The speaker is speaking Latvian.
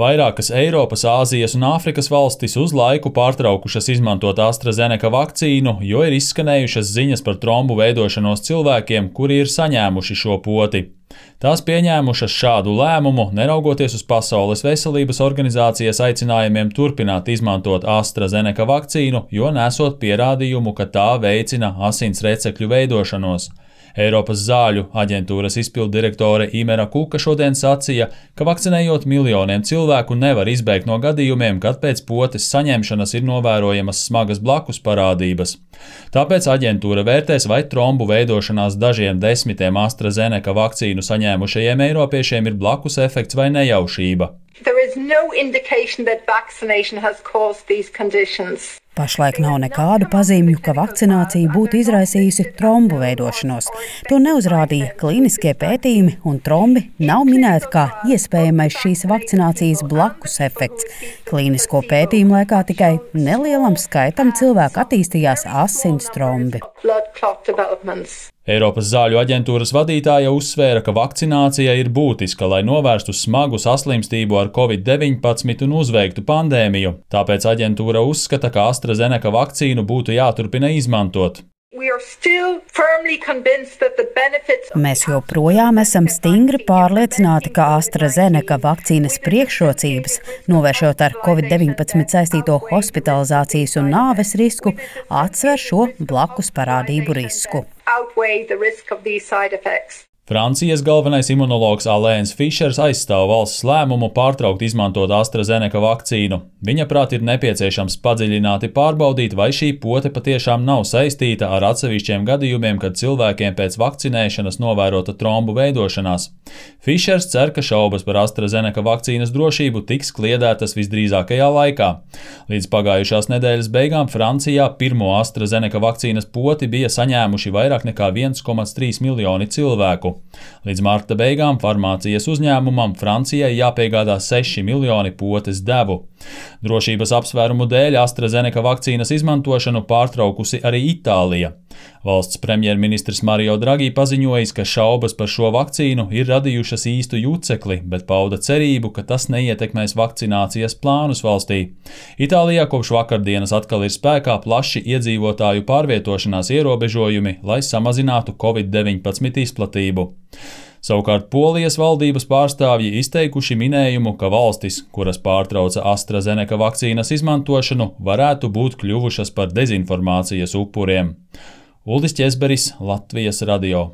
Vairākas Eiropas, Āzijas un Āfrikas valstis uz laiku pārtraukušas izmantot AstraZeneca vakcīnu, jo ir izskanējušas ziņas par trombu veidošanos cilvēkiem, kuri ir saņēmuši šo poti. Tās pieņēmušas šādu lēmumu, neraugoties uz Pasaules veselības organizācijas aicinājumiem turpināt izmantot AstraZeneca vakcīnu, jo nesot pierādījumu, ka tā veicina asins recekļu veidošanos. Eiropas zāļu aģentūras izpilddirektore Imera Kuka šodien sacīja, ka vakcinējot miljoniem cilvēku nevar izbēgt no gadījumiem, kad pēc potes saņemšanas ir novērojamas smagas blakus parādības. Tāpēc aģentūra vērtēs, vai trombu veidošanās dažiem desmitiem AstraZeneca vakcīnu saņēmušajiem eiropiešiem ir blakus efekts vai nejaušība. Pašlaik nav nekādu pazīmju, ka vakcinācija būtu izraisījusi trombu veidošanos. To neuzrādīja klīniskie pētījumi, un trombi nav minēti kā iespējamais šīs vakcinācijas blakus efekts. Klīnisko pētījumu laikā tikai nelielam skaitam cilvēku attīstījās asins trombi. Eiropas zāļu aģentūras vadītāja uzsvēra, ka vakcinācija ir būtiska, lai novērstu smagu saslimstību ar Covid-19 un uzveiktu pandēmiju. Tāpēc aģentūra uzskata, ka AstraZeneca vakcīnu būtu jāturpina izmantot. Mēs joprojām esam stingri pārliecināti, ka AstraZeneca vakcīnas priekšrocības, novēršot ar Covid-19 saistīto hospitalizācijas un nāves risku, atsver šo blakus parādību risku. Francijas galvenais imunologs Alains Fišers aizstāv valsts lēmumu pārtraukt izmantot AstraZeneca vakcīnu. Viņa prāt ir nepieciešams padziļināti pārbaudīt, vai šī pote patiešām nav saistīta ar atsevišķiem gadījumiem, kad cilvēkiem pēc vakcinēšanas novērota trombu veidošanās. Fišers cer, ka šaubas par AstraZeneca vakcīnas drošību tiks kliedētas visdrīzākajā laikā. Līdz pagājušās nedēļas beigām Francijā pirmo AstraZeneca vakcīnas poti bija saņēmuši vairāk nekā 1,3 miljoni cilvēku. Līdz marta beigām farmācijas uzņēmumam Francijai jāpiegādā 6 miljoni potes devu. Drošības apsvērumu dēļ AstraZeneca vakcīnas izmantošanu pārtraukusi arī Itālija. Valsts premjerministrs Mario Draghi paziņojis, ka šaubas par šo vakcīnu ir radījušas īstu jucekli, bet pauda cerību, ka tas neietekmēs vakcinācijas plānus valstī. Itālijā kopš vakardienas atkal ir spēkā plaši iedzīvotāju pārvietošanās ierobežojumi, lai samazinātu Covid-19 izplatību. Savukārt Polijas valdības pārstāvji izteikuši minējumu, ka valstis, kuras pārtrauca AstraZeneca vakcīnas izmantošanu, varētu būt kļuvušas par dezinformācijas upuriem. Uldis Ķezberis, Latvijas radio.